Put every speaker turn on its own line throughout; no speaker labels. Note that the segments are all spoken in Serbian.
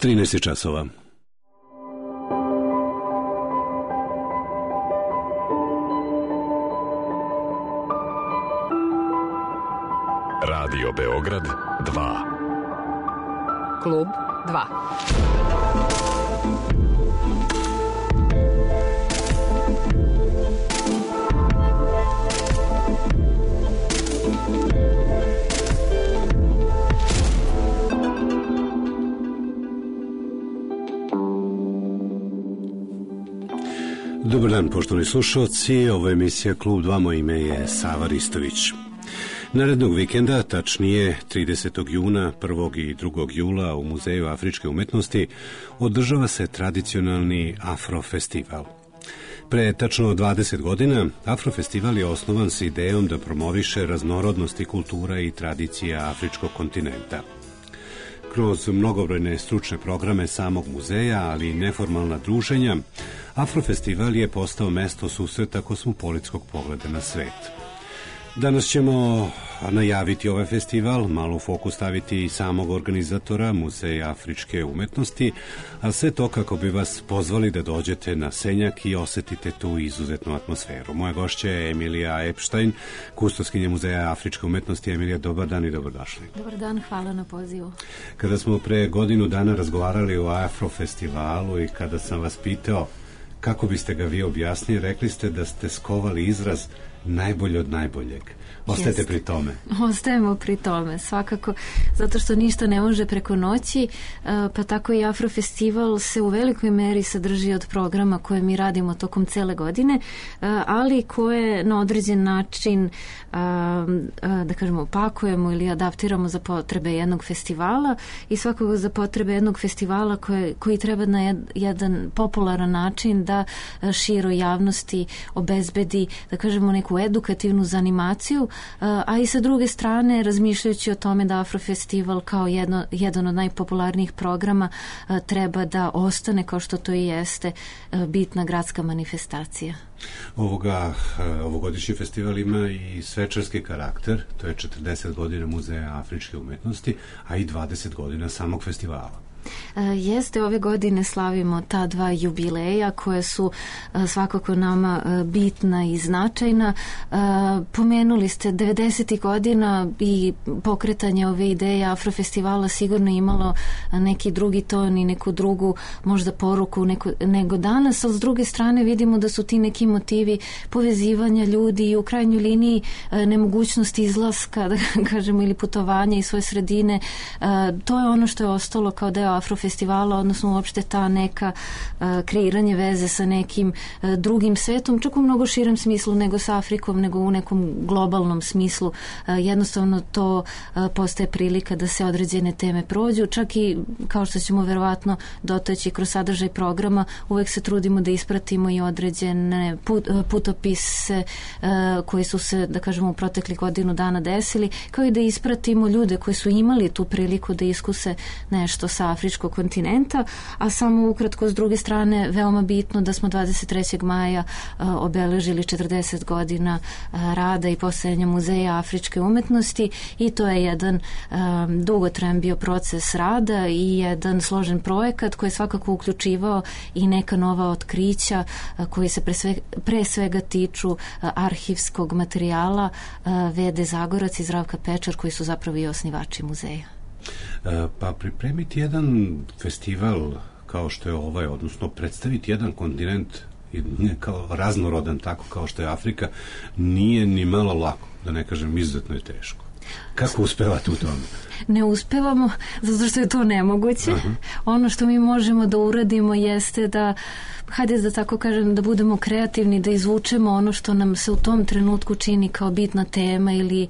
13 časova.
Radio Beograd 2.
Klub 2.
Dobar dan, poštovani slušalci, ovo je emisija Klub 2, moje ime je Sava Ristović. Narednog vikenda, tačnije 30. juna, 1. i 2. jula u Muzeju afričke umetnosti održava se tradicionalni Afrofestival. Pre tačno 20 godina Afrofestival je osnovan s idejom da promoviše raznorodnosti kultura i tradicija afričkog kontinenta. Kroz mnogobrojne stručne programe samog muzeja, ali i neformalna druženja, Afrofestival je postao mesto susreta kosmopolitskog pogleda na svet. Danas ćemo najaviti ovaj festival, malo u fokus staviti i samog organizatora Muzeja afričke umetnosti, a sve to kako bi vas pozvali da dođete na Senjak i osetite tu izuzetnu atmosferu. Moja gošća je Emilija Epstein, kustoskinja Muzeja afričke umetnosti. Emilija, dobar dan i dobrodošli.
Dobar dan, hvala na pozivu.
Kada smo pre godinu dana razgovarali o Afrofestivalu i kada sam vas pitao kako biste ga vi objasnili, rekli ste da ste skovali izraz najbolje od najboljeg. Ostajete pri tome?
Ostajemo pri tome, svakako, zato što ništa ne može preko noći, pa tako i Afrofestival se u velikoj meri sadrži od programa koje mi radimo tokom cele godine, ali koje na određen način, da kažemo, opakujemo ili adaptiramo za potrebe jednog festivala i svakako za potrebe jednog festivala koji treba na jedan popularan način da široj javnosti obezbedi, da kažemo, neku edukativnu zanimaciju, a i sa druge strane razmišljajući o tome da Afrofestival kao jedan od najpopularnijih programa treba da ostane, kao što to i jeste, bitna gradska manifestacija.
Ovogodišnji festival ima i svečarski karakter, to je 40 godina Muzeja afričke umetnosti, a i 20 godina samog festivala.
Jeste, ove godine slavimo ta dva jubileja koje su svakako nama bitna i značajna. Pomenuli ste 90. godina i pokretanje ove ideje Afrofestivala sigurno imalo neki drugi ton i neku drugu možda poruku nego danas, ali s druge strane vidimo da su ti neki motivi povezivanja ljudi i u krajnjoj liniji nemogućnost izlaska, da kažemo, ili putovanja iz svoje sredine. To je ono što je ostalo kao deo Afrofestivala, odnosno uopšte ta neka kreiranje veze sa nekim drugim svetom, čak u mnogo širem smislu nego sa Afrikom, nego u nekom globalnom smislu. Jednostavno to postaje prilika da se određene teme prođu, čak i kao što ćemo verovatno dotaći kroz sadržaj programa, uvek se trudimo da ispratimo i određene putopise koji su se, da kažemo, u proteklih godinu dana desili, kao i da ispratimo ljude koji su imali tu priliku da iskuse nešto sa afričkog kontinenta, a samo ukratko s druge strane veoma bitno da smo 23. maja obeležili 40 godina rada i postojanja Muzeja afričke umetnosti i to je jedan dugotrajan bio proces rada i jedan složen projekat koji je svakako uključivao i neka nova otkrića koji se pre svega tiču arhivskog materijala Vede Zagorac i Zdravka Pečar, koji su zapravo i osnivači muzeja.
Pa pripremiti jedan festival kao što je ovaj, odnosno predstaviti jedan kontinent kao raznorodan, tako kao što je Afrika, nije ni malo lako, da ne kažem izuzetno je teško. Kako uspevate u tome?
Ne uspevamo, zato što je to nemoguće. Ono što mi možemo da uradimo jeste da, hajde da tako kažem, da budemo kreativni, da izvučemo ono što nam se u tom trenutku čini kao bitna tema ili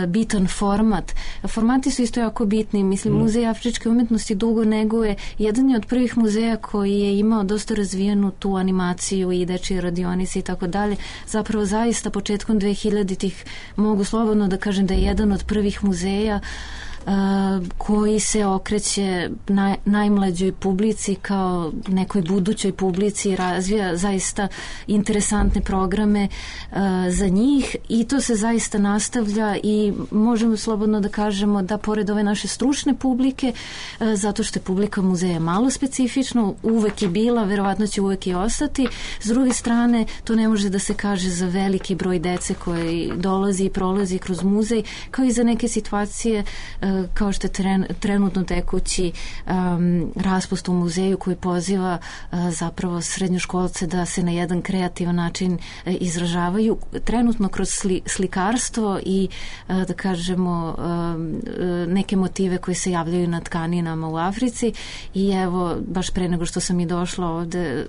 bitan format. Formati su isto jako bitni. Mislim, Muzej afričke umetnosti dugo neguje. Jedan je od prvih muzeja koji je imao dosta razvijenu tu animaciju i dečije radionice i tako dalje. Zapravo zaista početkom 2000-ih mogu slobodno da kažem da je jedan od prvih muzeja koji se okreće najmlađoj publici kao nekoj budućoj publici i razvija zaista interesantne programe za njih i to se zaista nastavlja i možemo slobodno da kažemo da pored ove naše stručne publike, zato što je publika muzeja malo specifično, uvek je bila, verovatno će uvek i ostati. S druge strane, to ne može da se kaže za veliki broj dece koji dolazi i prolazi kroz muzej, kao i za neke situacije kao što je trenutno tekući raspust u muzeju koji poziva zapravo srednjoškolce da se na jedan kreativan način izražavaju trenutno kroz slikarstvo i da kažemo neke motive koji se javljaju na tkaninama u Africi i evo baš pre nego što sam i došla ovde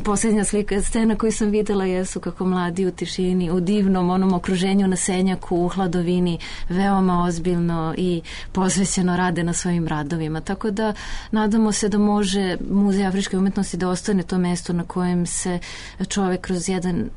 posljednja scena koju sam videla jesu kako mladi u tišini, u divnom onom okruženju na Senjaku, u hladovini veoma ozbiljno i posvećeno rade na svojim radovima. Tako da nadamo se da može Muzej afričke umetnosti da ostane to mesto na kojem se čovek kroz jedan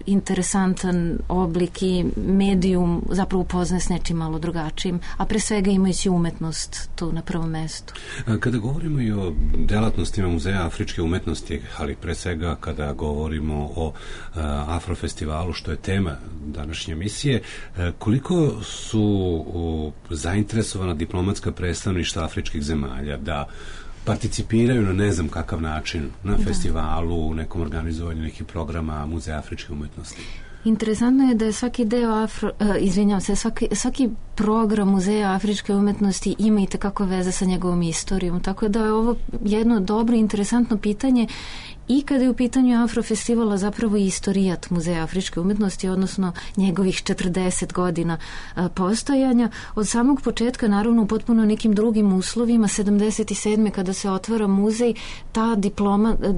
interesantan oblik i medijum zapravo upoznaje s nečim malo drugačijim, a pre svega imajući umetnost tu na prvom mestu.
Kada govorimo i o delatnostima Muzeja afričke umetnosti, ali pre svega kada govorimo o Afrofestivalu, što je tema današnje emisije, koliko su zainteresovana diplomatska predstavništva afričkih zemalja da participiraju na ne znam kakav način na festivalu, u nekom organizovanju nekih programa Muzeja afričke umetnosti?
Interesantno je da je svaki deo svaki program Muzeja afričke umetnosti ima i tekako veze sa njegovom istorijom, tako da je ovo jedno dobro i interesantno pitanje i kada je u pitanju Afrofestivala zapravo istorijat Muzeja afričke umetnosti, odnosno njegovih 40 godina postojanja. Od samog početka, naravno u potpuno nekim drugim uslovima, 77. kada se otvara muzej, ta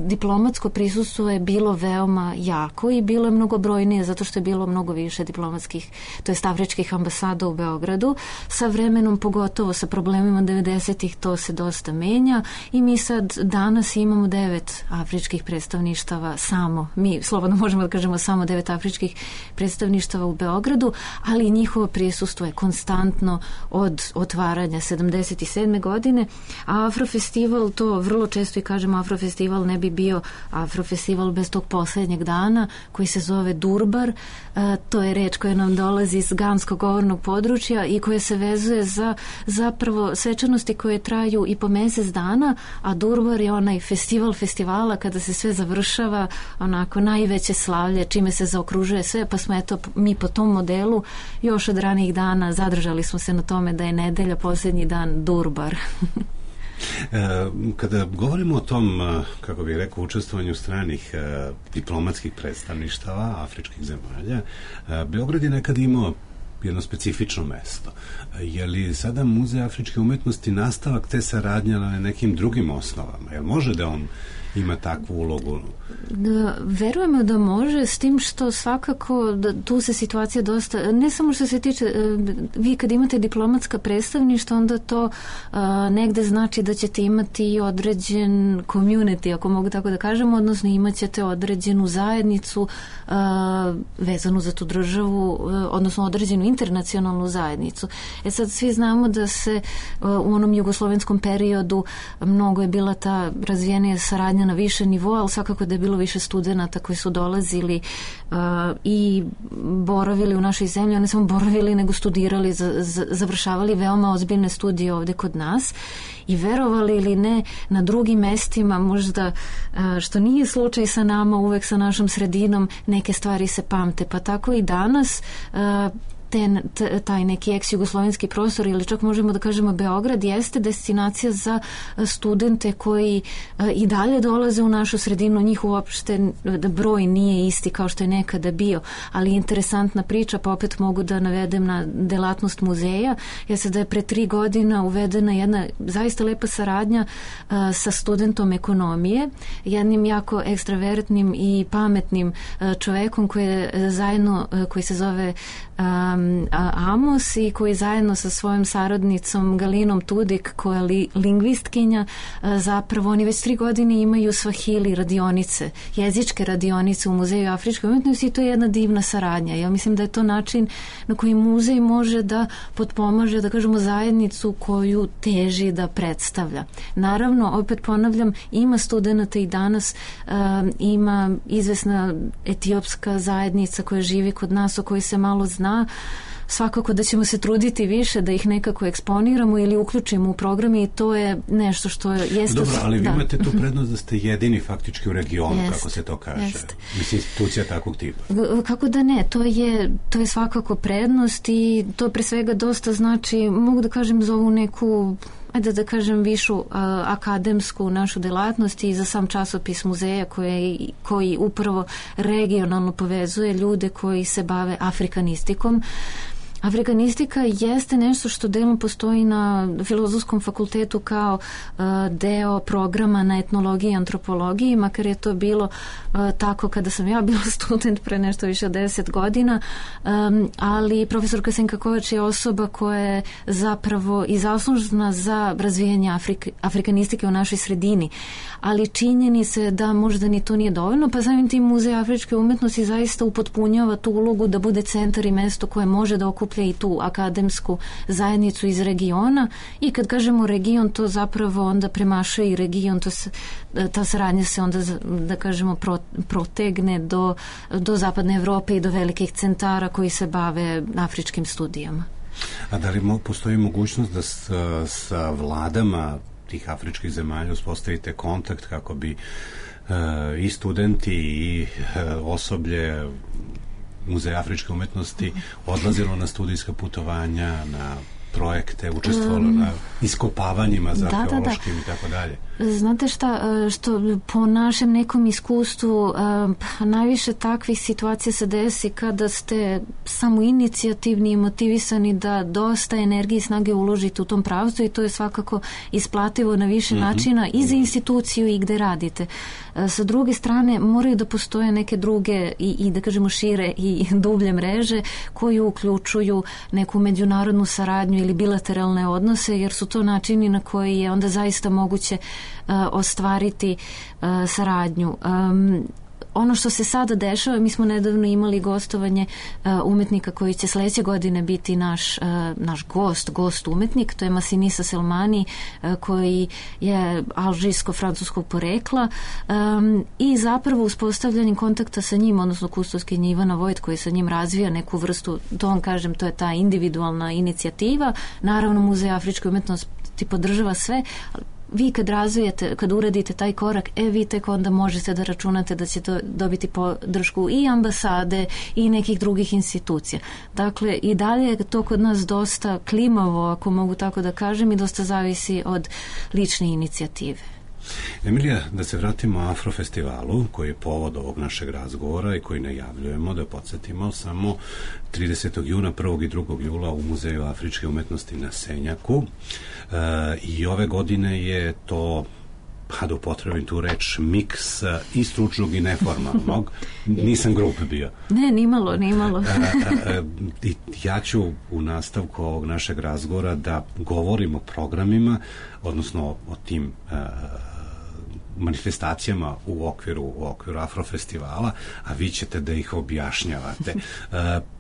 diplomatsko prisustvo je bilo veoma jako i bilo je mnogobrojnije zato što je bilo mnogo više diplomatskih, to jest afričkih ambasada u Beogradu. Sa vremenom, pogotovo sa problemima 90-ih, to se dosta menja i mi sad danas imamo 9 afričkih predstavništava mi slobodno možemo da kažemo samo 9 afričkih predstavništava u Beogradu, ali njihovo prisustvo je konstantno od otvaranja 77. godine, a Afrofestival, to vrlo često i kažemo, Afrofestival ne bi bio Afrofestival bez tog poslednjeg dana koji se zove Durbar. To je reč koja nam dolazi iz ganskog govornog područja i koja se vezuje za zapravo svečanosti koje traju i po mesec dana, a Durbar je onaj festivala kada se sve završava, onako najveće slavlje, čime se zaokružuje sve, pa smo eto mi po tom modelu još od ranih dana zadržali smo se na tome da je nedelja posljednji dan Durbar.
Kada govorimo o tom, kako bih rekao, učestvovanju stranih diplomatskih predstavništava afričkih zemalja, Beograd je nekad imao jedno specifično mesto. Je li sada Muzej afričke umetnosti nastavak te saradnje na nekim drugim osnovama? Jel može da on ima takvu ulogu?
Verujemo da može, s tim što svakako tu se situacija dosta, ne samo što se tiče, vi kad imate diplomatska predstavništva, onda to negde znači da ćete imati određen community, ako mogu tako da kažem, odnosno imat ćete određenu zajednicu vezanu za tu državu, odnosno određenu internacionalnu zajednicu. Sad svi znamo da se u onom jugoslovenskom periodu mnogo je bila ta razvijenija saradnja na više nivoa, ali svakako da je bilo više studenata koji su dolazili i boravili u našoj zemlji, ne samo boravili nego studirali, završavali veoma ozbiljne studije ovde kod nas i verovali ili ne, na drugim mestima možda, što nije slučaj sa nama, uvek sa našom sredinom, neke stvari se pamte, pa tako i danas taj neki ex-jugoslovenski prostor ili čak možemo da kažemo Beograd jeste destinacija za studente koji i dalje dolaze u našu sredinu, njih uopšte broj nije isti kao što je nekada bio, ali interesantna priča, pa opet mogu da navedem na delatnost muzeja, jeste da je pre 3 godina uvedena jedna zaista lepa saradnja sa studentom ekonomije, jednim jako ekstravertnim i pametnim čovekom koji se zove Amos i koji zajedno sa svojom saradnicom Galinom Tudik, koja je lingvistkinja, zapravo oni već 3 godine imaju Swahili radionice, jezičke radionice u Muzeju afričke umetnosti i to je jedna divna saradnja. Ja mislim da je to način na koji muzej može da potpomaže, da kažemo, zajednicu koju teži da predstavlja. Naravno, opet ponavljam, ima studenata i danas, ima izvesna etiopska zajednica koja živi kod nas, o kojoj se malo zna. Svakako da ćemo se truditi više da ih nekako eksponiramo ili uključimo u programe i to je nešto što je...
Dobro, ali vi imate tu prednost da ste jedini faktički u regionu, kako se to kaže. Mislim, institucija takvog tipa.
Kako da ne, to je svakako prednost i to pre svega dosta znači, mogu da kažem, za ovu neku, ajde da kažem, višu akademsku našu delatnost i za sam časopis muzeja koji upravo regionalno povezuje ljude koji se bave afrikanistikom. Afrikanistika jeste nešto što delom postoji na Filozofskom fakultetu kao deo programa na etnologiji i antropologiji, makar je to bilo tako kada sam ja bila student pre nešto više od 10 godina, ali profesorka Senka Kovač je osoba koja je zapravo i zaslužna za razvijanje afrikanistike u našoj sredini. Ali činjeni se da možda ni to nije dovoljno, pa samim tim Muzej afričke umetnosti zaista upotpunjava tu ulogu da bude centar i mesto koje može da okuplja i tu akademsku zajednicu iz regiona i kad kažemo region, to zapravo onda premašuje i region, ta saradnja se onda, da kažemo, protegne do zapadne Evrope i do velikih centara koji se bave afričkim studijama.
A da li postoji mogućnost da sa vladama tih afričkih zemalja uspostavite kontakt kako bi i studenti i osoblje Muzeja afričke umetnosti odlazilo na studijska putovanja, na projekte, učestvovalo na iskopavanjima za arheološkim i tako dalje?
Znate šta, što po našem nekom iskustvu najviše takvih situacija se desi kada ste samo inicijativni i motivisani da dosta energije i snage uložite u tom pravcu i to je svakako isplativo na više načina i za instituciju i gde radite. Sa druge strane, moraju da postoje neke druge i da kažemo šire i dublje mreže koji uključuju neku međunarodnu saradnju ili bilateralne odnose, jer su to načini na koji je onda zaista moguće ostvariti saradnju. Ono što se sada dešava, mi smo nedavno imali gostovanje umetnika koji će sledeće godine biti naš gost umetnik, to je Massinissa Selmani, koji je alžirsko-francuskog porekla i zapravo uspostavljanjem kontakta sa njim, odnosno kustoskinja Ivana Vojt koji sa njim razvija neku vrstu, to vam kažem, to je ta individualna inicijativa. Naravno, Muzej afričke umetnosti podržava sve, vi kad uradite taj korak, vi tek onda možete da računate da ćete dobiti podršku i ambasade i nekih drugih institucija. Dakle, i dalje je to kod nas dosta klimavo, ako mogu tako da kažem, i dosta zavisi od lične inicijative.
Emilija, da se vratimo Afrofestivalu, koji je povod ovog našeg razgovora i koji najavljujemo, da podsjetimo, samo 30. juna, 1. i 2. jula u Muzeju afričke umetnosti na Senjaku. I ove godine je to, da upotrebim tu reč, miks i stručnog i neformalnog. Nisam grupe bio.
Ne, nimalo.
I ja ću u nastavku ovog našeg razgovora da govorim o programima, odnosno o tim manifestacijama u okviru Afrofestivala, a vi ćete da ih objašnjavate.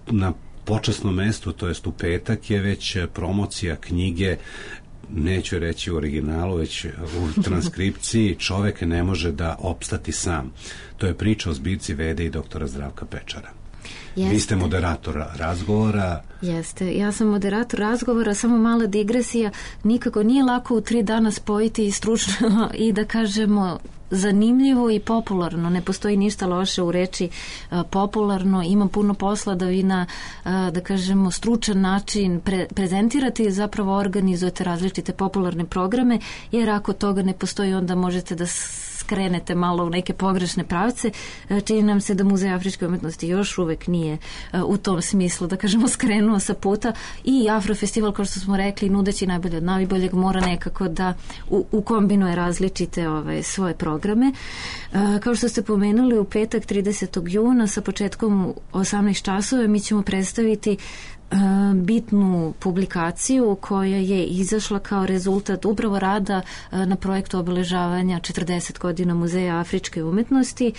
Na počasnom mestu, to jest u petak, je već promocija knjige, neću reći u originalu, već u transkripciji, Čovek ne može da opstati sam. To je priča o zbirci Vede i doktora Zdravka Pečara. Jeste. Vi ste moderator razgovora.
Jeste, ja sam moderator razgovora, samo mala digresija, nikako nije lako u 3 dana spojiti i stručno i da kažemo zanimljivo i popularno. Ne postoji ništa loše u reči popularno, ima puno posla da vi na, da kažemo, stručan način prezentirate i zapravo organizujete različite popularne programe, jer ako toga ne postoji, onda možete da skrenete malo u neke pogrešne pravce. Čini nam se da Muzej afričke umetnosti još uvek nije u tom smislu, da kažemo, skrenuo sa puta, i Afrofestival, kao što smo rekli, nudeći najbolje od najboljeg, mora nekako da ukombinuje različite svoje programe. Kao što ste pomenuli, u petak 30. juna sa početkom u 18 časova mi ćemo predstaviti bitnu publikaciju koja je izašla kao rezultat upravo rada na projektu obeležavanja 40 godina Muzeja afričke umetnosti.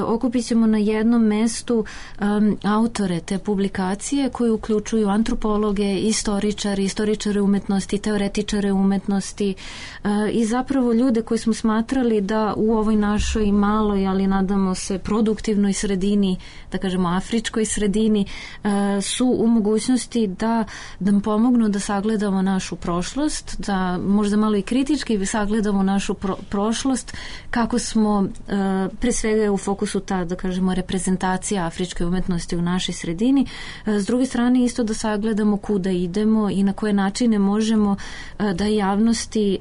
Okupit ćemo na jednom mestu autore te publikacije koji uključuju antropologe, istoričare umetnosti, teoretičare umetnosti i zapravo ljude koji smo smatrali da u ovoj našoj maloj, ali nadamo se produktivnoj sredini, da kažemo afričkoj sredini, su u mogućnosti da nam pomognu da sagledamo našu prošlost, da možda malo i kritički sagledamo našu prošlost, kako smo pre svega u fokusu ta, da kažemo, reprezentacija afričke umetnosti u našoj sredini. S druge strane isto da sagledamo kuda idemo i na koje načine možemo da javnosti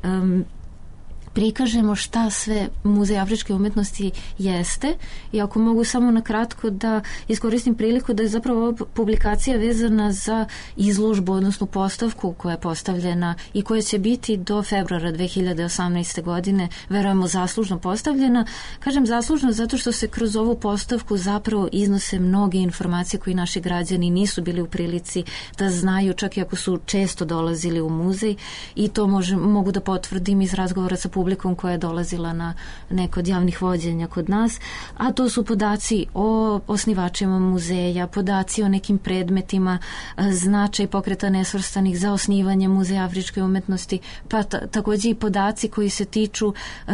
prikažemo šta sve Muzej afričke umetnosti jeste. I ako mogu samo na kratko da iskoristim priliku da je zapravo ova publikacija vezana za izložbu, odnosno postavku koja je postavljena i koja će biti do februara 2018. godine, verujemo, zaslužno postavljena. Kažem zaslužno zato što se kroz ovu postavku zapravo iznose mnoge informacije koje naši građani nisu bili u prilici da znaju, čak i ako su često dolazili u muzej, i to mogu da potvrdim iz razgovora sa publikom koja je dolazila na neko od javnih vođenja kod nas, a to su podaci o osnivačima muzeja, podaci o nekim predmetima, značaj Pokreta nesvrstanih za osnivanje Muzeja afričke umetnosti, pa takođe i podaci koji se tiču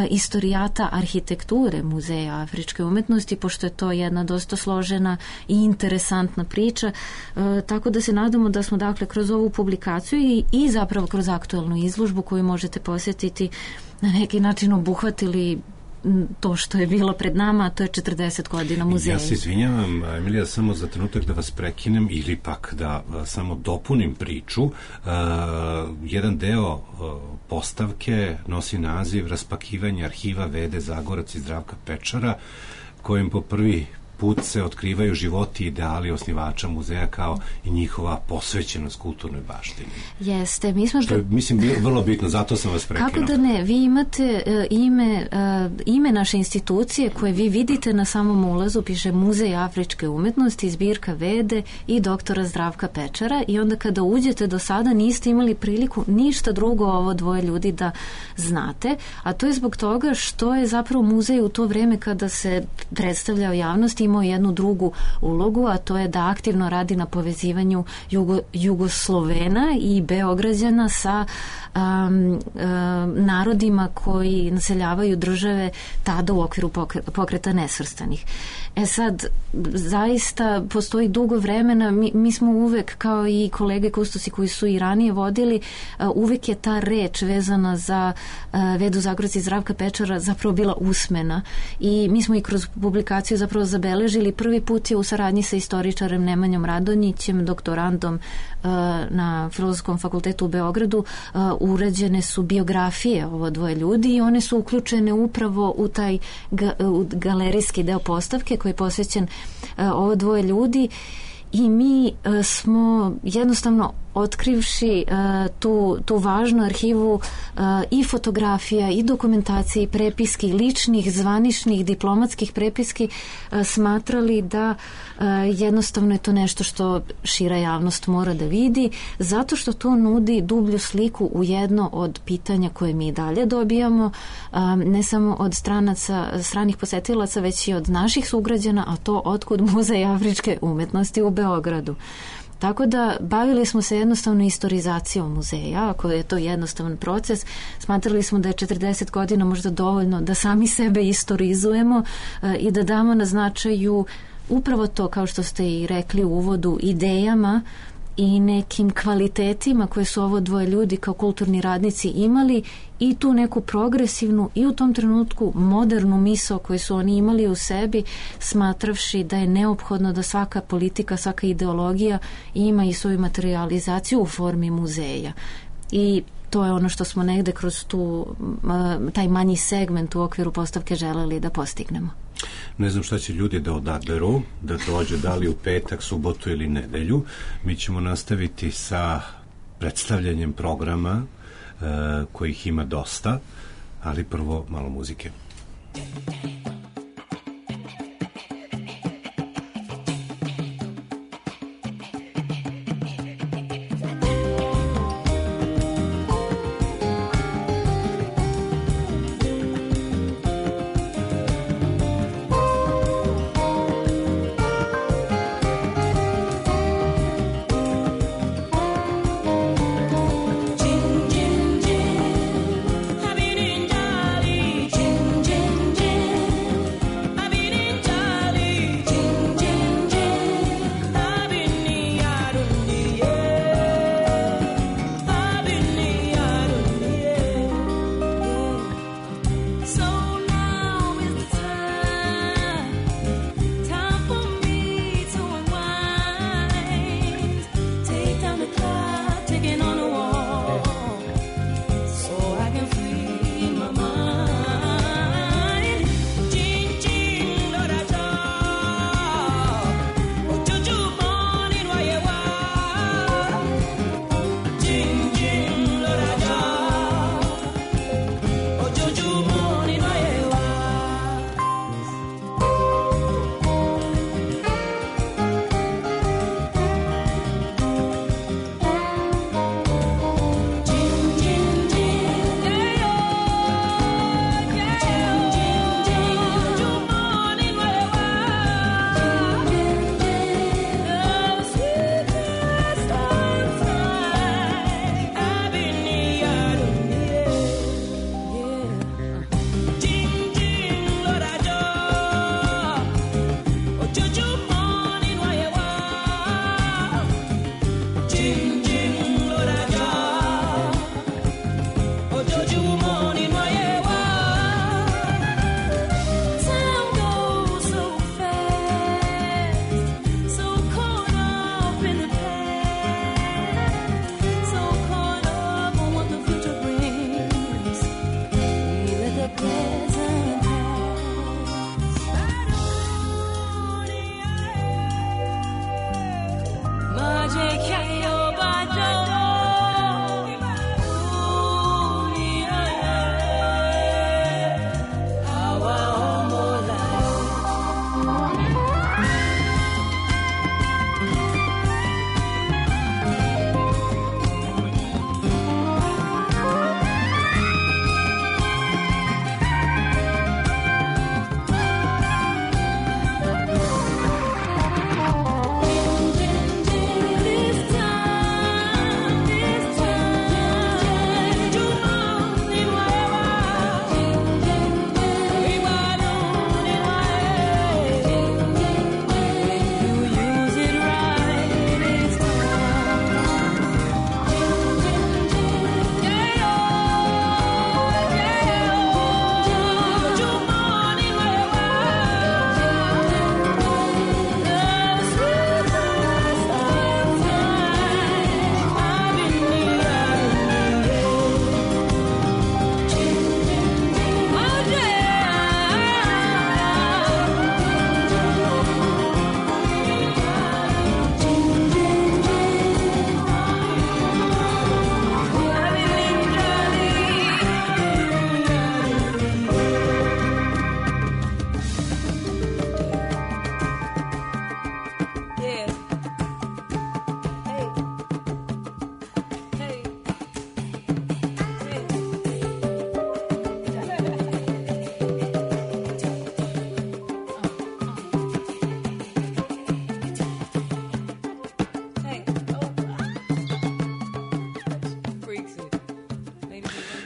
istorijata arhitekture Muzeja afričke umetnosti, pošto je to jedna dosta složena i interesantna priča, tako da se nadamo da smo dakle kroz ovu publikaciju i zapravo kroz aktualnu izložbu koju možete posjetiti na neki način obuhvatili to što je bilo pred nama, a to je 40 godina muzeja.
Ja se izvinjavam, Emilija, samo za trenutak da vas prekinem ili pak da samo dopunim priču. Jedan deo postavke nosi naziv Raspakivanje arhiva Vede Zagorac i Zdravka Pečara, kojim po prvi put se otkrivaju životi i ideali osnivača muzeja kao i njihova posvećenost kulturnoj baštini.
Jeste, mi smo...
Što je, mislim, vrlo bitno, zato sam vas prekinuo.
Kako da ne, vi imate ime naše institucije koje vi vidite na samom ulazu, piše Muzej afričke umetnosti, zbirka Vede i doktora Zdravka Pečara, i onda kada uđete, do sada niste imali priliku ništa drugo ovo dvoje ljudi da znate, a to je zbog toga što je zapravo muzej u to vreme kada se predstavljao javnosti imao jednu drugu ulogu, a to je da aktivno radi na povezivanju Jugoslovena i Beograđana sa narodima koji naseljavaju države tada u okviru Pokreta nesvrstanih. Sad, zaista postoji dugo vremena, mi smo uvek, kao i kolege kustosi koji su i ranije vodili, uvek je ta reč vezana za Vedu Zagorac i Zdravka Pečara zapravo bila usmena, i mi smo i kroz publikaciju zapravo zabeležili. Prvi put je u saradnji sa istoričarem Nemanjom Radonjićem, doktorandom na Filozofskom fakultetu u Beogradu, urađene su biografije ovo dvoje ljudi i one su uključene upravo u taj galerijski deo postavke koji je posvećen ovo dvoje ljudi, i mi smo jednostavno otkrivši tu važnu arhivu i fotografija i dokumentacije i prepiski, ličnih, zvaničnih, diplomatskih prepiski, smatrali da jednostavno je to nešto što šira javnost mora da vidi, zato što to nudi dublju sliku u jedno od pitanja koje mi dalje dobijamo, ne samo od stranih posetilaca, već i od naših sugrađana, a to otkud Muzej afričke umetnosti u Beogradu. Tako da bavili smo se jednostavno istorizacijom muzeja, ako je to jednostavan proces. Smatrali smo da je 40 godina možda dovoljno da sami sebe istorizujemo i da damo na značaju upravo to, kao što ste i rekli u uvodu, idejama i nekim kvalitetima koje su ovo dvoje ljudi kao kulturni radnici imali, i tu neku progresivnu i u tom trenutku modernu misao koju su oni imali u sebi, smatravši da je neophodno da svaka politika, svaka ideologija ima i svoju materializaciju u formi muzeja. I to je ono što smo negde kroz taj manji segment u okviru postavke želeli da postignemo.
Ne znam šta će ljudi da odaberu, da dođe da li u petak, subotu ili nedelju. Mi ćemo nastaviti sa predstavljanjem programa kojih ima dosta, ali prvo malo muzike.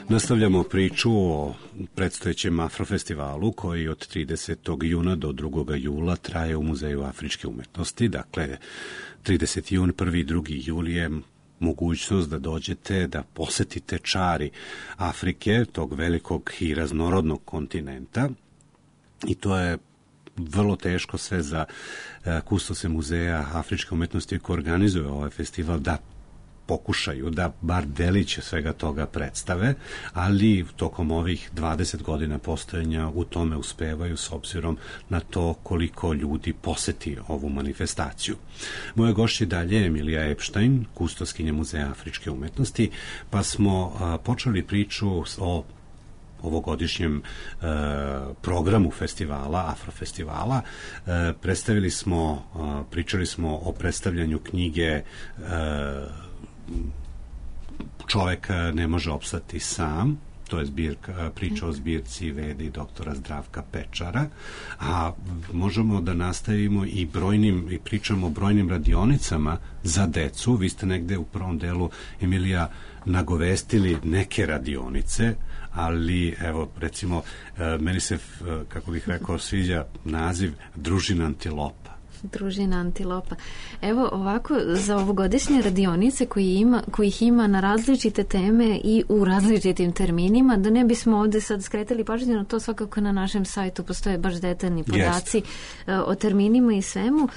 Nastavljamo priču o predstojećem Afrofestivalu koji od 30. juna do 2. jula traje u Muzeju afričke umetnosti. Dakle, 30. jun, 1. i 2. jul je mogućnost da dođete, da posetite čari Afrike, tog velikog i raznorodnog kontinenta. I to je vrlo teško sve za kustose Muzeja afričke umetnosti koji organizuje ovaj festival da pokušaju da bar delić svega toga predstave, ali tokom ovih 20 godina postojanja u tome uspevaju s obzirom na to koliko ljudi poseti ovu manifestaciju. Moja gošća dalje je Emilija Epštajn, kustoskinja Muzeja afričke umetnosti, pa smo počeli priču o ovogodišnjem programu festivala, Afrofestivala. Pričali smo o predstavljanju knjige Čovek ne može opstati sam, to je priča o zbirci Vede i doktora Zdravka Pečara, a možemo da nastavimo i pričamo o brojnim radionicama za decu. Vi ste negde u prvom delu, Emilija, nagovestili neke radionice, ali evo, recimo, meni se, kako bih rekao, sviđa naziv Družina Antilopa.
Družina Antilopa. Evo ovako, za ovogodišnje radionice kojih ima na različite teme i u različitim terminima, da ne bismo ovde sad skretali pažnju na to, svakako na našem sajtu postoje baš detaljni podaci o terminima i svemu.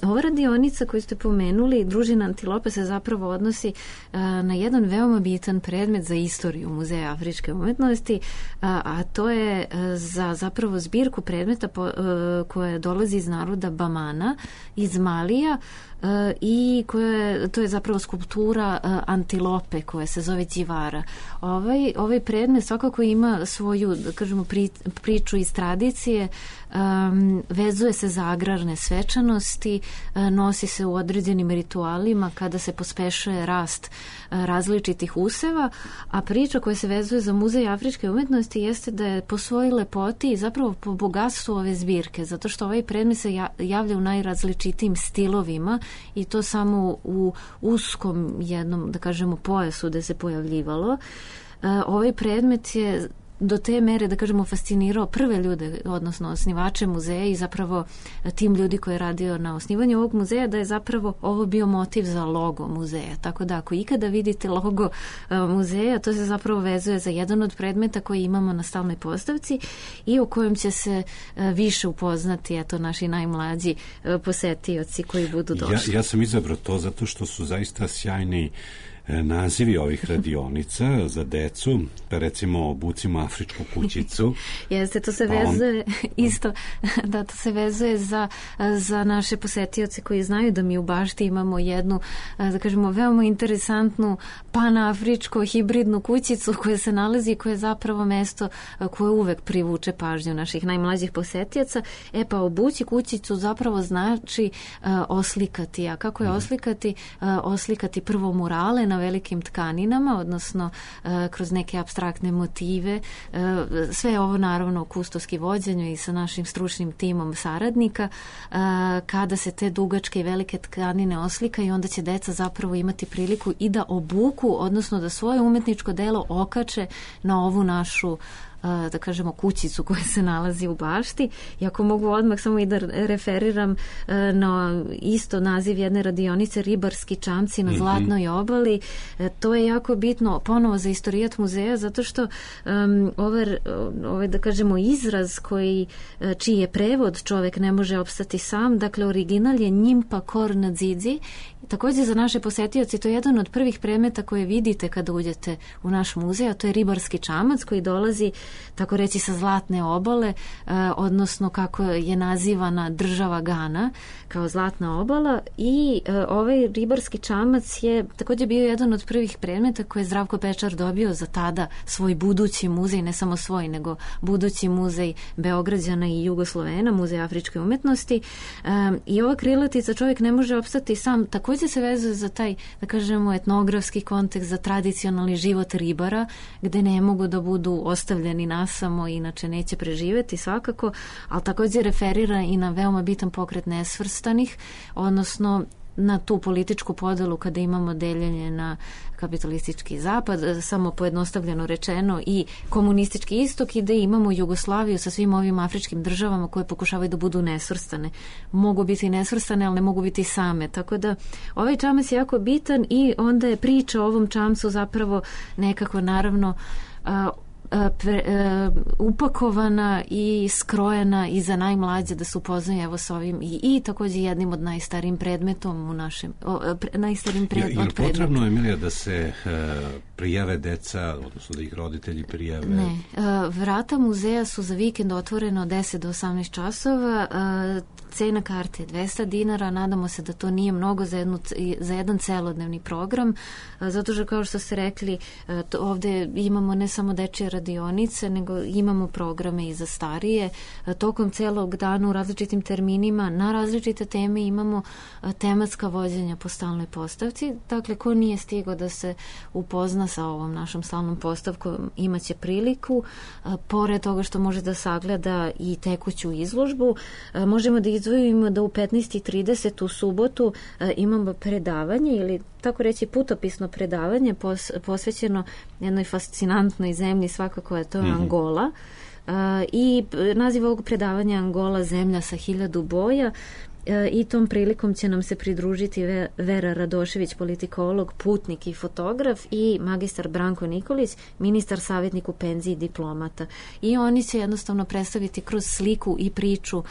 Ova radionica koju ste pomenuli, Družina Antilopa, se zapravo odnosi na jedan veoma bitan predmet za istoriju Muzeja afričke umetnosti, a to je za zapravo zbirku predmeta koja dolazi iz naroda Bamana, iz Malija, i to je zapravo skulptura antilope koja se zove Đivara. Ovaj predmet svakako ima svoju, da kažemo, priču iz tradicije, vezuje se za agrarne svečanosti, nosi se u određenim ritualima kada se pospešuje rast različitih useva, a priča koja se vezuje za Muzej afričke umetnosti jeste da je po svojoj lepoti i zapravo po bogatstvu ove zbirke, zato što ovaj predmet se javlja u najrazličitijim stilovima i to samo u uskom jednom, da kažemo, pojasu gde se pojavljivalo. Ovaj predmet je do te mere, da kažemo, fascinirao prve ljude, odnosno osnivače muzeja i zapravo tim ljudi koji je radio na osnivanju ovog muzeja, da je zapravo ovo bio motiv za logo muzeja. Tako da ako ikada vidite logo muzeja, to se zapravo vezuje za jedan od predmeta koji imamo na stalnoj postavci i u kojem će se više upoznati naši najmlađi posetioci koji budu došli.
Ja sam izabrao to zato što su zaista sjajni nazivi ovih radionica za decu, pa recimo obucimo afričku kućicu.
Jeste, to se vezuje isto, da, to se vezuje za naše posetioce koji znaju da mi u bašti imamo jednu, da kažemo, veoma interesantnu panafričko hibridnu kućicu koja se nalazi i koja je zapravo mesto koje uvek privuče pažnju naših najmlađih posetioca. Pa obući kućicu zapravo znači oslikati. A kako je oslikati? Oslikati prvo murale na velikim tkaninama, odnosno kroz neke apstraktne motive. Sve ovo naravno u kustoski vođenju i sa našim stručnim timom saradnika. Kada se te dugačke i velike tkanine oslikaju, onda će deca zapravo imati priliku i da obuku, odnosno da svoje umetničko delo okače na ovu našu, da kažemo, kućicu koja se nalazi u bašti. I ako mogu odmah samo i da referiram na isto naziv jedne radionice, Ribarski čamci na Zlatnoj obali, to je jako bitno ponovo za istorijat muzeja, zato što ovaj, da kažemo, izraz čiji je prevod Čovek ne može opstati sam, dakle original je Njimpa Kor Nadzidzi. Također za naše posetioce to je jedan od prvih predmeta koje vidite kada uđete u naš muzej, a to je ribarski čamac koji dolazi, tako reći, sa Zlatne obale, odnosno kako je nazivana država Gana kao Zlatna obala, i ovaj ribarski čamac je također bio jedan od prvih predmeta koje je Zdravko Pečar dobio za tada svoj budući muzej, ne samo svoj, nego budući muzej Beograđana i Jugoslovena, Muzej afričke umetnosti. I ova krilatica Čovjek ne može opstati sam također se vezuje za taj, da kažemo, etnografski kontekst, za tradicionalni život ribara, gde ne mogu da budu ostavljeni nasamo, inače neće preživeti svakako, ali također referira i na veoma bitan pokret nesvrstanih, odnosno na tu političku podelu kada imamo deljenje na kapitalistički zapad, samo pojednostavljeno rečeno, i komunistički istok, i da imamo Jugoslaviju sa svim ovim afričkim državama koje pokušavaju da budu nesvrstane. Mogu biti nesvrstane, ali ne mogu biti same. Tako da ovaj čamac je jako bitan i onda je priča o ovom čamcu zapravo nekako, naravno, upakovana i skrojena i za najmlađe da se upoznaju evo s ovim i također jednim od najstarijim predmetom u našem najstarijim predmetom.
Je potrebno, Emilija, da se prijave deca, odnosno da ih roditelji prijave?
Ne. Vrata muzeja su za vikend otvorena od 10 do 18 časova. Cena karte je 200 dinara. Nadamo se da to nije mnogo za jedan celodnevni program, zato što, kao što ste rekli, ovdje imamo ne samo dečje radionice, nego imamo programe i za starije. Tokom celog dana u različitim terminima na različite teme imamo tematska vođenja po stalnoj postavci. Dakle, ko nije stigao da se upozna sa ovom našom stalnom postavkom, imaće priliku. Pored toga što može da sagleda i tekuću izložbu, možemo da izdvojimo da u 15:30 u subotu imamo predavanje ili tako reći putopisno predavanje posvećeno jednoj fascinantnoj zemlji, svakako je to Angola. I naziv ovog predavanja Angola, zemlja sa 1000 boja. I tom prilikom će nam se pridružiti Vera Radošević, politikolog, putnik i fotograf, i magistar Branko Nikolić, ministar, savjetnik u penziji, diplomata. I oni će jednostavno predstaviti kroz sliku i priču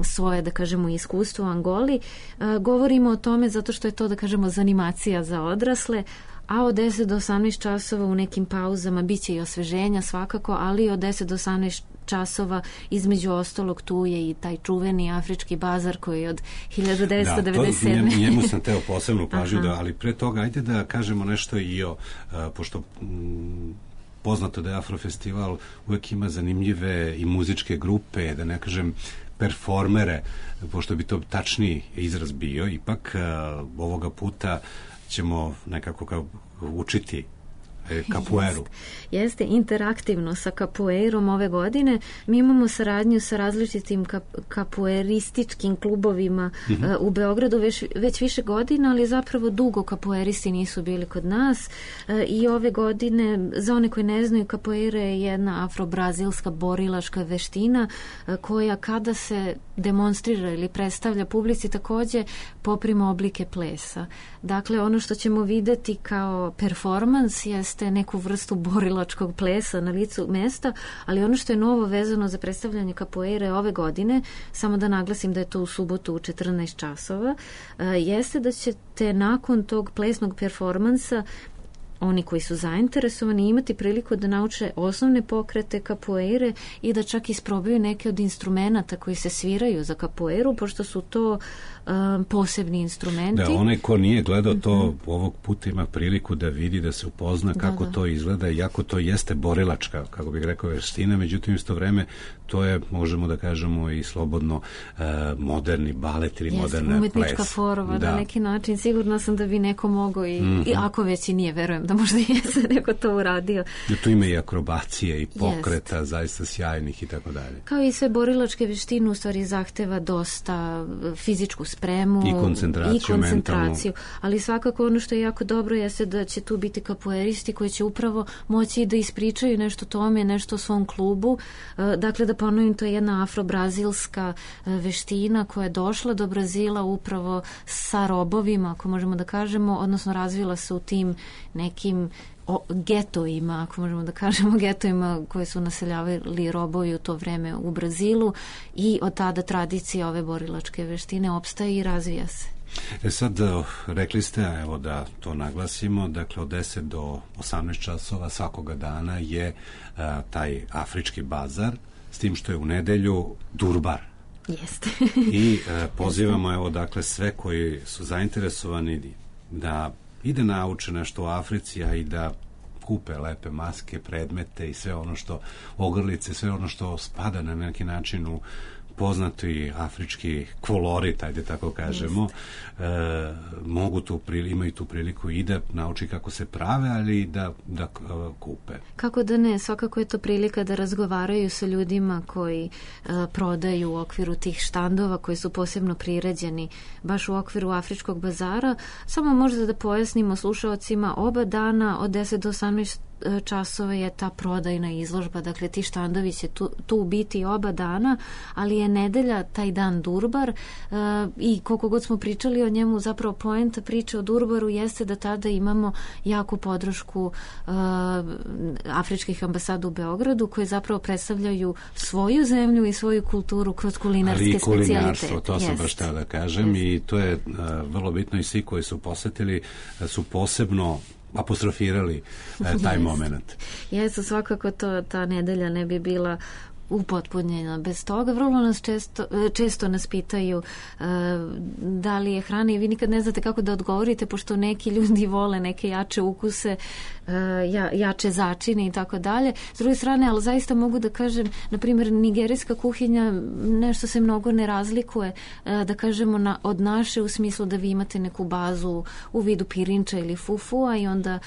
svoje, da kažemo, iskustvo u Angoli. Govorimo o tome zato što je to, da kažemo, zanimacija za odrasle, a od 10 do 18 časova u nekim pauzama bit će i osveženja svakako, ali od 10 do 18 časova između ostalog tu je i taj čuveni afrički bazar koji je od 1997.
Da, njemu sam teo posebnu pažnju, ali pre toga ajde da kažemo nešto i o, pošto poznato da je Afrofestival uvek ima zanimljive i muzičke grupe, da ne kažem performere, pošto bi to tačniji izraz bio, ipak ovoga puta ćemo nekako učiti kapueru.
Jeste interaktivno sa kapuerom ove godine. Mi imamo saradnju sa različitim kapuerističkim klubovima u Beogradu već više godina, ali zapravo dugo kapueristi nisu bili kod nas i ove godine, za one koji ne znaju, kapuera je jedna afro-brazilska borilačka veština koja kada se demonstrira ili predstavlja publici također poprima oblike plesa. Dakle, ono što ćemo videti kao performans jeste neku vrstu borilačkog plesa na licu mesta, ali ono što je novo vezano za predstavljanje kapoeire ove godine, samo da naglasim da je to u subotu u 14 časova, jeste da ćete nakon tog plesnog performansa oni koji su zainteresovani imati priliku da nauče osnovne pokrete kapoeire i da čak isprobaju neke od instrumenata koji se sviraju za kapoeiru, pošto su to posebni instrumenti.
Da, onaj ko nije gledao to ovog puta ima priliku da vidi, da se upozna kako to izgleda, iako to jeste borilačka, kako bih rekao, veština, međutim isto vreme to je, možemo da kažemo, i slobodno moderni balet ili moderna
umetnička forma, na neki način. Sigurno sam da bi neko mogao i ako već i nije, verujem da možda jeste neko to uradio.
Tu ima i akrobacije i pokreta, zaista sjajnih i tako dalje.
Kao i sve borilačke veštine, u stvari zahteva dosta fizičku spremu
i koncentraciju.
Ali svakako ono što je jako dobro jeste da će tu biti kapoeristi koji će upravo moći da ispričaju nešto tome, nešto o svom klubu. Dakle, da ponovim, to je jedna afro-brazilska veština koja je došla do Brazila upravo sa robovima, ako možemo da kažemo, odnosno razvila se u tim nekim getovima, ako možemo da kažemo, getovima koje su naseljavali robovi u to vreme u Brazilu, i od tada tradicija ove borilačke veštine opstaje i razvija se.
Sad, rekli ste, evo da to naglasimo, dakle od 10 do 18 časova svakoga dana je taj afrički bazar, s tim što je u nedelju Durbar.
Jeste.
I pozivamo, evo, dakle, sve koji su zainteresovani da ide nauče nešto o Africi, a i da kupe lepe maske, predmete i sve ono što, ogrlice, sve ono što spada na neki način u poznati afrički kolorit, ajde tako kažemo, imaju tu priliku i da nauči kako se prave, ali i da kupe.
Kako da ne, svakako je to prilika da razgovaraju sa ljudima koji prodaju u okviru tih štandova koji su posebno priređeni baš u okviru afričkog bazara. Samo možda da pojasnimo slušaocima, oba dana od 10 do 18 časova je ta prodajna izložba, dakle ti štandovi će tu biti oba dana, ali je nedelja taj dan Durbar i koliko god smo pričali o njemu, zapravo poenta priče o Durbaru jeste da tada imamo jaku podršku afričkih ambasada u Beogradu koje zapravo predstavljaju svoju zemlju i svoju kulturu kroz kulinarske specijalitete. Ali i kulinarstvo,
to sam baš htio da kažem i to je vrlo bitno i svi koji su posetili su posebno apostrofirali taj moment.
Jeste, svakako ta nedelja ne bi bila upotpunjena bez toga. Vrlo nas često nas pitaju da li je hrana i vi nikad ne znate kako da odgovorite, pošto neki ljudi vole neke jače ukuse, jače začine i tako dalje. S druge strane, ali zaista mogu da kažem, na primjer, nigerijska kuhinja nešto se mnogo ne razlikuje, da kažemo, od naše, u smislu da vi imate neku bazu u vidu pirinča ili fufua i onda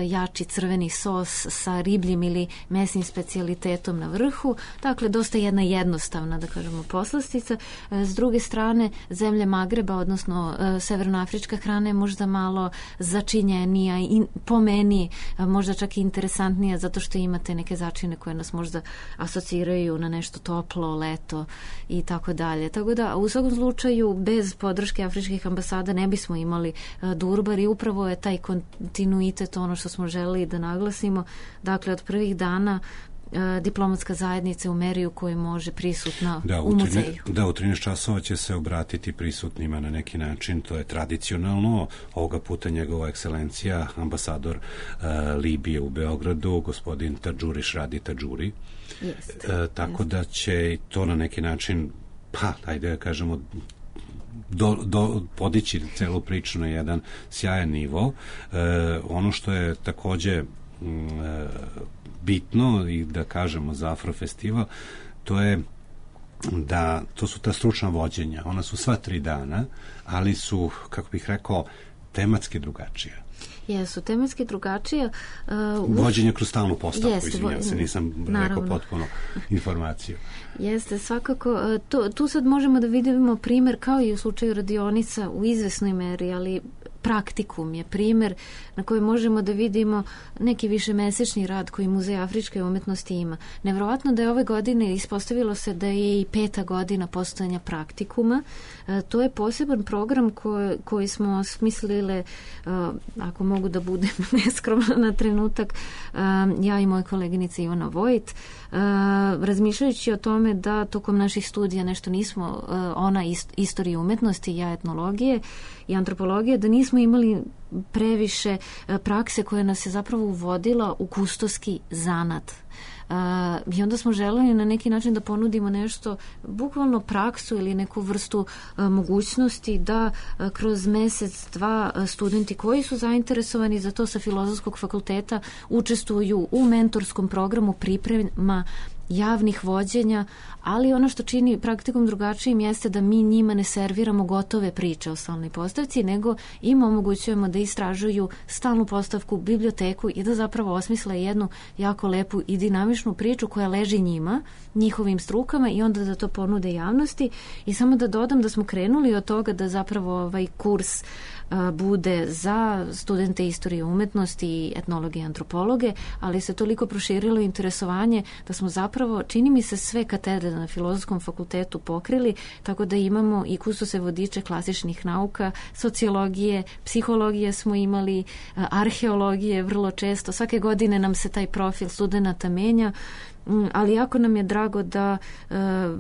jači crveni sos sa ribljim ili mesnim specijalitetom na vrhu. Dakle, dosta jedna jednostavna, da kažemo, poslastica. S druge strane, zemlje Magreba, odnosno severnoafrička hrana je možda malo začinjenija i po meni možda čak i interesantnija, zato što imate neke začine koje nas možda asociraju na nešto toplo, leto i tako dalje. Tako da, u svakom slučaju, bez podrške afričkih ambasada ne bismo imali Durbar i upravo je taj kontinuitet ono što smo želeli da naglasimo. Dakle, od prvih dana diplomatska zajednica u meri u kojoj može prisutna u muzeju.
Da, u 13 časova će se obratiti prisutnima na neki način, to je tradicionalno, ovoga puta njegova ekscelencija, ambasador Libije u Beogradu, gospodin Tadžuriš Radi Tadžuri. Tako da će to na neki način, ajde da kažemo, podići celu priču na jedan sjajan nivo. Ono što je takođe bitno i da kažemo za Afrofestival, to je da to su ta stručna vođenja. Ona su sva 3 dana, ali su, kako bih rekao, tematski drugačija.
Jesu, tematski drugačije.
Vođenje kroz stalnu postavku, izvinjam se, nisam rekao potpuno informaciju.
Jeste, svakako. Tu sad možemo da vidimo primer, kao i u slučaju radionica, u izvesnoj meri, ali praktikum je primer na kojem možemo da vidimo neki višemesečni rad koji Muzej afričke umetnosti ima. Nevjerovatno da je ove godine ispostavilo se da je i 5. godina postojanja praktikuma. To je poseban program koji smo smislile, ako mogu da budem neskromna na trenutak, ja i moja koleginica Ivana Vojt, razmišljajući o tome da tokom naših studija nešto nismo, ona istorije umetnosti, ja etnologije i antropologije, da nismo imali previše prakse koja nas je zapravo uvodila u kustoski zanat. I onda smo želeli na neki način da ponudimo nešto, bukvalno praksu ili neku vrstu mogućnosti da kroz mesec, 2 studenti koji su zainteresovani za to sa Filozofskog fakulteta učestvuju u mentorskom programu priprema javnih vođenja, ali ono što čini praktikum drugačijim jeste da mi njima ne serviramo gotove priče o stalnoj postavci, nego im omogućujemo da istražuju stalnu postavku, biblioteku i da zapravo osmisle jednu jako lepu i dinamičnu priču koja leži njima, njihovim strukama i onda da to ponude javnosti. I samo da dodam da smo krenuli od toga da zapravo ovaj kurs bude za studente istorije umetnosti i etnologe i antropologe, ali se toliko proširilo interesovanje da smo zapravo, čini mi se, sve katedre na Filozofskom fakultetu pokrili, tako da imamo i kustose vodiče klasičnih nauka, sociologije, psihologije smo imali, arheologije vrlo često. Svake godine nam se taj profil studenata menja, ali jako nam je drago da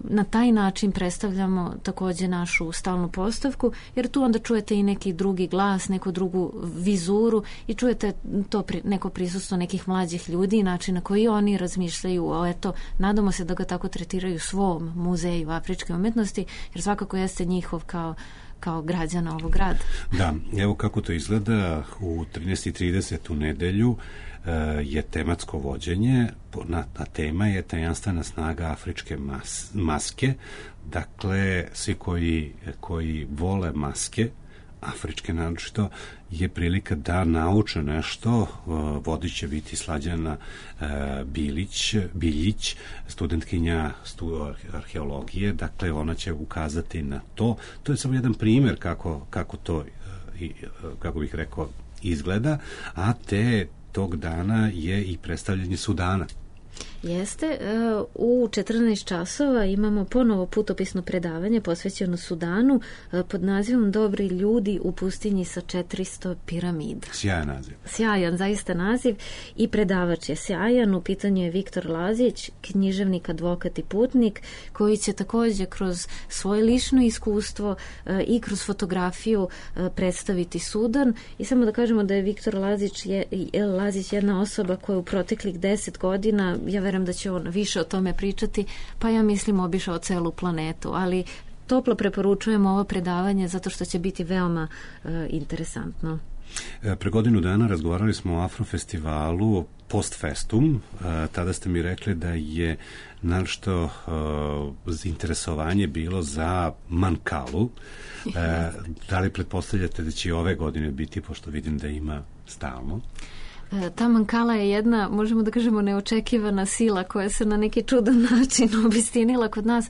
na taj način predstavljamo takođe našu stalnu postavku, jer tu onda čujete i neki drugi glas, neku drugu vizuru i čujete to neko prisustvo nekih mlađih ljudi i način na koji oni razmišljaju nadamo se da ga tako tretiraju svom muzeju afričke umetnosti, jer svakako jeste njihov kao građana ovog grada.
Da, evo kako to izgleda u 13:30 u nedelju je tematsko vođenje, a tema je tajanstvena snaga afričke maske. Dakle, svi koji vole maske, afričke naročito, je prilika da nauče nešto. Vodit će biti Slađana Biljić, studentkinja arheologije. Dakle, ona će ukazati na to. To je samo jedan primer kako to, kako bih rekao, izgleda, a tog dana je i predstavljanje Sudana.
Jeste, u 14 časova imamo ponovo putopisno predavanje posvećeno Sudanu pod nazivom Dobri ljudi u pustinji sa 400 piramida.
Sjajan naziv.
Sjajan, zaista naziv, i predavač je sjajan. U pitanju je Viktor Lazić, književnik, advokat i putnik, koji će također kroz svoje lično iskustvo i kroz fotografiju predstaviti Sudan. I samo da kažemo da je Viktor Lazić jedna osoba koja u proteklih 10 godina, ja verujem da će on više o tome pričati, pa ja mislim obišao celu planetu, ali toplo preporučujemo ovo predavanje zato što će biti veoma interesantno.
Pre godinu dana razgovarali smo o Afrofestivalu Postfestum. Tada ste mi rekli da je našto interesovanje bilo za Mankalu. Da li pretpostavljate da će ove godine biti, pošto vidim da ima stalno?
Ta Mankala je jedna, možemo da kažemo, neočekivana sila koja se na neki čudan način obistinila kod nas.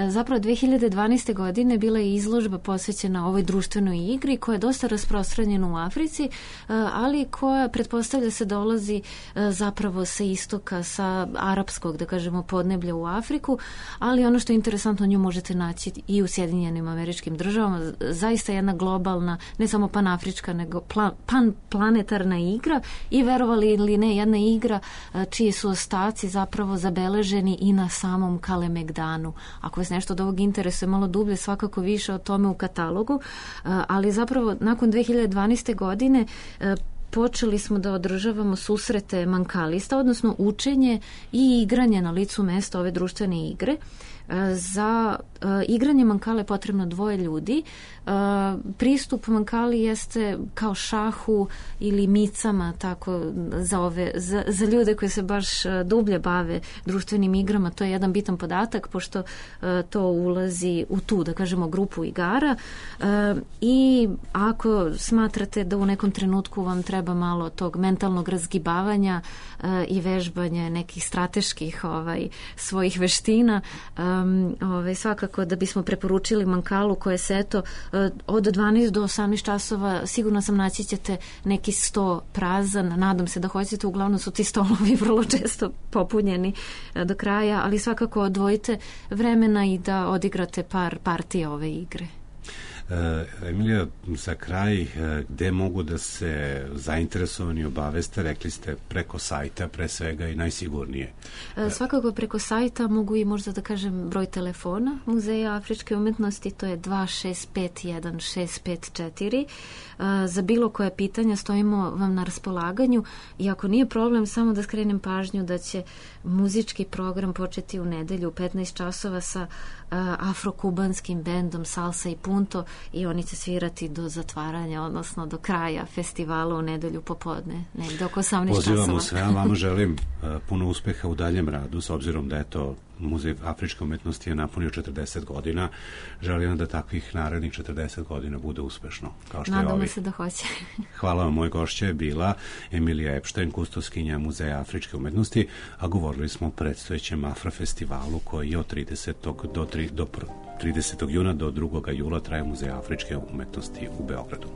Zapravo 2012. godine bila je izložba posvećena ovoj društvenoj igri koja je dosta rasprostranjena u Africi, ali koja pretpostavlja se dolazi zapravo sa istoka, sa arapskog, da kažemo, podneblja u Afriku, ali ono što je interesantno, nju možete naći i u Sjedinjenim Američkim Državama. Zaista jedna globalna, ne samo panafrička, nego panplanetarna igra i verovali ili ne, jedna igra čiji su ostaci zapravo zabeleženi i na samom Kalemegdanu. Ako vas nešto od ovog interesuje malo dublje, svakako više o tome u katalogu, ali zapravo nakon 2012. godine počeli smo da održavamo susrete mankalista, odnosno učenje i igranje na licu mesta ove društvene igre. Za igranje Mankale je potrebno 2 ljudi. Pristup Mankali jeste kao šahu ili micama, tako za ljude koji se baš dublje bave društvenim igrama. To je jedan bitan podatak, pošto to ulazi u tu, da kažemo, grupu igara. I ako smatrate da u nekom trenutku vam treba malo tog mentalnog razgibavanja i vežbanja nekih strateških svojih veština, svakako da bismo preporučili Mankalu, koje se od 12 do 18 časova sigurno sam naći ćete neki sto prazan, nadam se da hoćete, uglavnom su ti stolovi vrlo često popunjeni do kraja, ali svakako odvojite vremena i da odigrate par partija ove igre.
Emilija, za kraj, gde mogu da se zainteresovani obaveste? Rekli ste preko sajta pre svega i najsigurnije.
Svakako preko sajta, mogu i možda da kažem broj telefona Muzeja afričke umetnosti, to je 2651 654. Za bilo koje pitanja stojimo vam na raspolaganju i ako nije problem, samo da skrenem pažnju da će muzički program početi u nedelju u 15 časova sa afrokubanskim bendom Salsa i Punto i oni će svirati do zatvaranja, odnosno do kraja festivala u nedelju popodne, negde oko 18 časova.
Pozivamo sve, a vama želim puno uspeha u daljem radu, s obzirom da je to Muzej afričke umetnosti je napunio 40 godina. Želim da takvih narednih 40 godina bude uspešno, kao što
Nadamo
je ovi.
Se da hoće.
Hvala vam, moj gošća je bila Emilija Epštajn, kustoskinja Muzeja afričke umetnosti, a govorili smo o predstojećem Afrofestivalu koji je od 30. juna do 2. jula traje Muzej afričke umetnosti u Beogradu.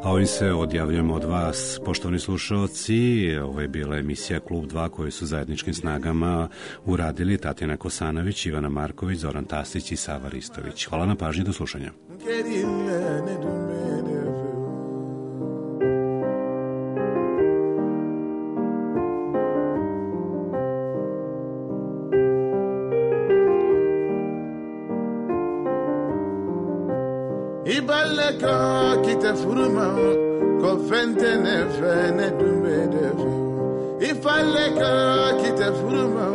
A ovim se odjavljujemo od vas, poštovani slušalci. Ovo je bila emisija Klub 2 koju su zajedničkim snagama uradili Tatjana Kosanović, Ivana Marković, Zoran Tasić i Sava Ristović. Hvala na pažnji, do slušanja.
Ibaleka kitafuruma ko fentene fene dumbe defu. Ifaleka kitafuruma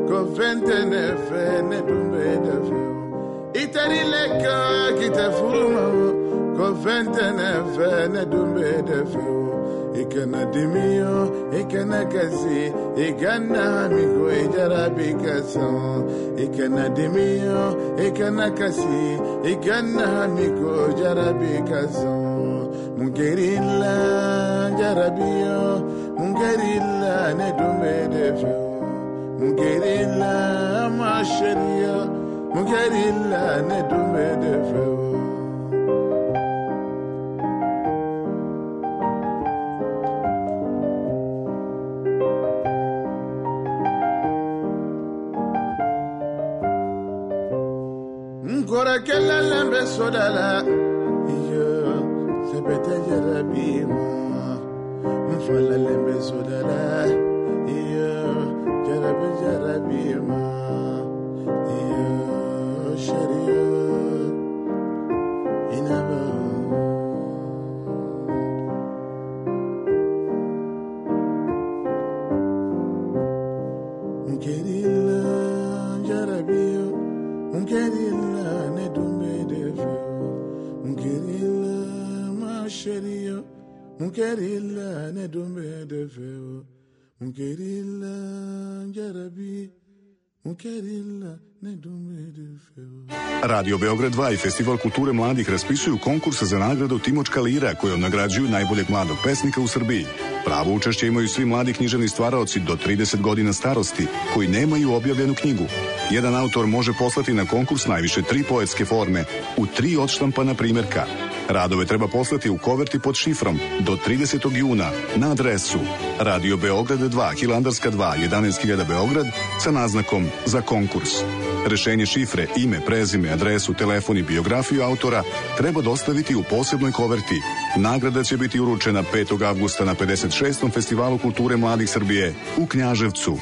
ko fentene fene dumbe defu. Itarileka kitafuruma ko fentene fene dumbe defu. Ikana dimio, ikana kasi, ikana amigo ijarabi kason. Ikana dimio, ikana kasi, ikana amigo ijarabi kason. Mungerilla jarabio, mungerilla ne dumbe defio. Mungerilla masheria, mungerilla ne dumbe defio. kella lembe sodala iyo sebete jarabima mfala lembe sodala iyo jarabima iyo sharia inaba mkerila jarabio mkerila ne dumbe defo mkerila masheria mkerila ne dumbe defo mkerila jarabi mkerila ne dumbe defo.
Radio Beograd 2 i Festival kulture mladih raspisuju konkurs za nagradu Timočka lira kojom nagrađuju najboljeg mladog pesnika u Srbiji. Pravo učešće imaju svi mladi književni stvaraoci do 30 godina starosti koji nemaju objavljenu knjigu. Jedan autor može poslati na konkurs najviše 3 poetske forme u 3 odštampana primjerka. Radove treba poslati u koverti pod šifrom do 30. juna na adresu Radio Beograd 2, Hilandarska 2, 11.000 Beograd sa naznakom za konkurs. Rešenje šifre, ime, prezime, adresu, telefon i biografiju autora treba dostaviti u posebnoj koverti. Nagrada će biti uručena 5. avgusta na 56. Festivalu kulture mladih Srbije u Knjaževcu.